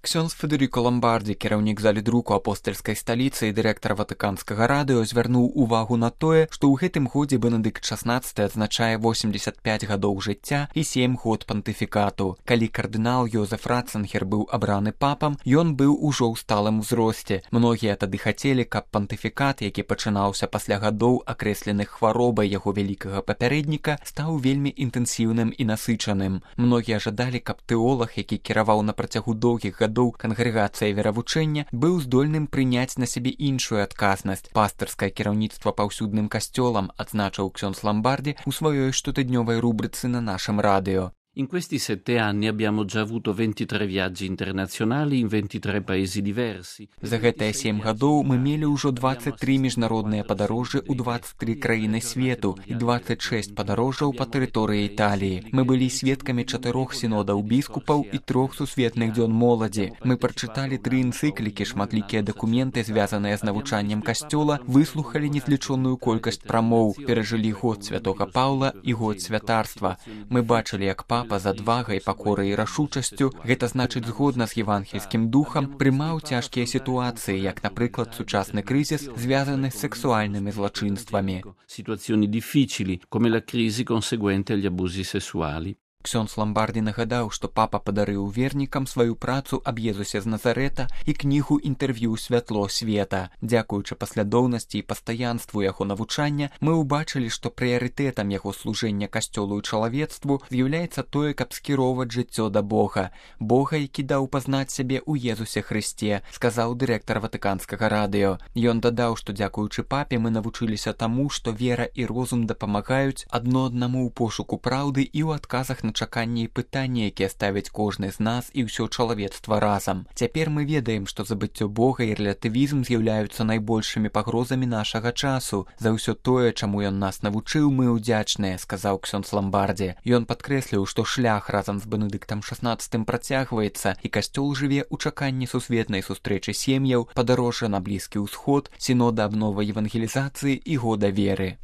Ксёндз Федэрыка Ламбардзі, кіраўнік залі друку апостальскай сталіцы і дырэктар ватыканскага радыё, звярнуў увагу на тое, што ў гэтым годзе Бенедыкт XVI адзначае 85 гадоў жыцця і 7 год пантыфікату. Калі кардынал Йозеф Ратцынгер быў абраны папам, ён быў ужо ў сталым узросце. Многія тады хацелі, каб пантыфікат, які пачынаўся пасля гадоў, акрэсленых хваробай яго вялікага папярэдніка, стаў вельмі інтэнсіўным і насычаным. Многія жадалі, каб тэолаг, які кіраваў на працягу доўгіх гадоў кангрэгацыя веравучэння, быў здольным прыняць на сябе іншую адказнасць. Пастырскае кіраўніцтва паўсюдным касцёлам, адзначыў ксёндз Ламбардзі ў сваёй штотыднёвай рубрыцы на нашым радыё. In questi 7 anni abbiamo già avuto 23 viaggi internazionali in 23 paesi diversi. За гэтыя 7 гадоў мы мелі ўжо 23 міжнародныя падарожжы ў 23 краіны свету і 26 падарожжаў па тэрыторыі Італіі. Мы былі сведкамі 4 сінодаў біскупаў і 3 сусветных дзён моладзі. Мы прачыталі 3 энцыклікі, шматлікія дакументы, звязаныя з навучаннем касцёла, выслухалі незлічоную колькасць прамоў, перажылі год святога Паўла і год святарства. Мы бачылі, як папа з адвагай, пакорай і рашучасцю, гэта значыць згодна з евангельскім духам, прымаў цяжкія сітуацыі, як, напрыклад, сучасны крызіс, звязаны з сексуальнымі злачынствамі. Situazioni difficili, come la crisi conseguente agli abusi sessuali. Ксёндз Ламбардзі нагадаў, што папа падарыў вернікам сваю працу аб Езусе з Назарэта і кнігу інтэрв'ю «Святло света». Дзякуючы паслядоўнасці і пастаянству яго навучання, мы ўбачылі, што прыярытэтам яго служэння касцёлу і чалавецтву з'яўляецца тое, каб скіроўваць жыццё да Бога. Бога, які даў пазнаць сябе ў Езусе Хрысце, сказаў дырэктар ватыканскага радыё. Ён дадаў, што дзякуючы папе мы навучыліся таму, што вера і розум дапамагаюць адно аднаму ў пошуку праўды і ў адказах на чаканні і пытанні, якія ставяць кожны з нас і ўсё чалавецтва разам. Цяпер мы ведаем, што забыццё Бога і рэлятывізм з'яўляюцца найбольшымі пагрозамі нашага часу. За ўсё тое, чаму ён нас навучыў, мы ўдзячныя, сказаў ксёндз Ламбардзі. Ён падкрэсліў, што шлях разам з Бенедыктам XVI працягваецца, і касцёл жыве ў чаканні сусветнай сустрэчы сем'яў, падарожжа на Блізкі ўсход, сінода аб новай евангелізацыі і года веры.